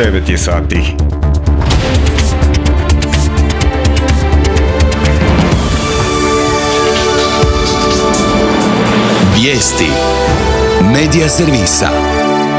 9 je sati. Vijesti Medija servisa.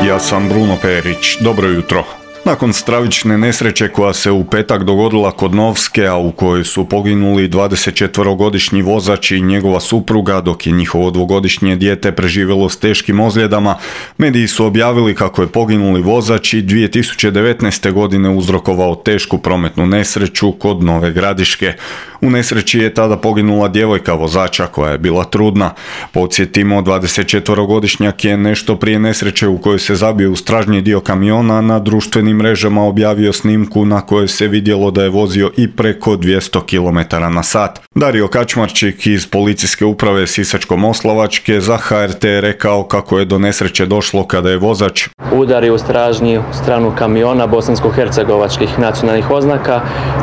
Ja sam Bruno Perić. Dobro jutro. Nakon stravične nesreće koja se u petak dogodila kod Novske, a u kojoj su poginuli 24-godišnji vozač i njegova supruga, dok je njihovo 2-godišnje dijete preživjelo s teškim ozljedama, mediji su objavili kako je poginuli vozač i 2019. godine uzrokovao tešku prometnu nesreću kod Nove Gradiške. U nesreći je tada poginula djevojka vozača koja je bila trudna. Podsjetimo, 24-godišnjak je nešto prije nesreće u kojoj se zabio u stražnji dio kamiona na društvenim mrežama objavio snimku na kojoj se vidjelo da je vozio i preko 200 km/h. Dario Kačmarčik iz policijske uprave Sisačko-moslavačke za HRT je rekao kako je do nesreće došlo kada je vozač udario u stražnju stranu kamiona bosansko-hercegovačkih nacionalnih oznaka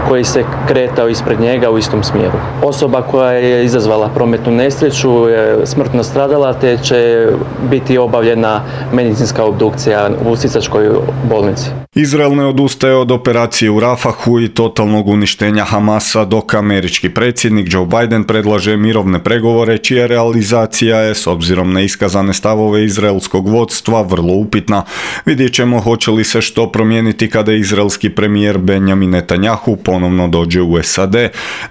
koji se kretao ispred njega u istom smjeru. Osoba koja je izazvala prometnu nesreću je smrtno stradala, te će biti obavljena medicinska obdukcija u Sisačkoj bolnici. Izrael ne odustaje od operacije u Rafahu i totalnog uništenja Hamasa, dok američki predsjednik Joe Biden predlaže mirovne pregovore čija realizacija je, s obzirom na iskazane stavove izraelskog vodstva, vrlo upitna. Vidjet ćemo hoće li se što promijeniti kada izraelski premijer Benjamin Netanjahu ponovno dođe u SAD.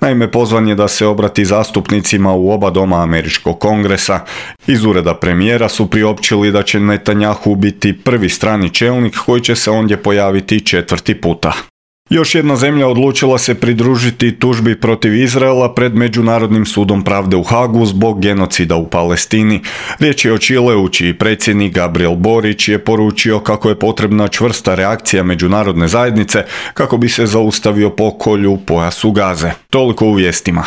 Naime, pozvan je da se obrati zastupnicima u oba doma američkog kongresa. Iz ureda premijera su priopćili da će Netanjahu biti prvi strani čelnik koji će se ondje pojaviti 4. puta. Još jedna zemlja odlučila se pridružiti tužbi protiv Izraela pred Međunarodnim sudom pravde u Hagu zbog genocida u Palestini. Riječ je o Čileu, čiji predsjednik Gabriel Borić je poručio kako je potrebna čvrsta reakcija međunarodne zajednice kako bi se zaustavio pokolj u pojasu Gaze. Toliko u vijestima.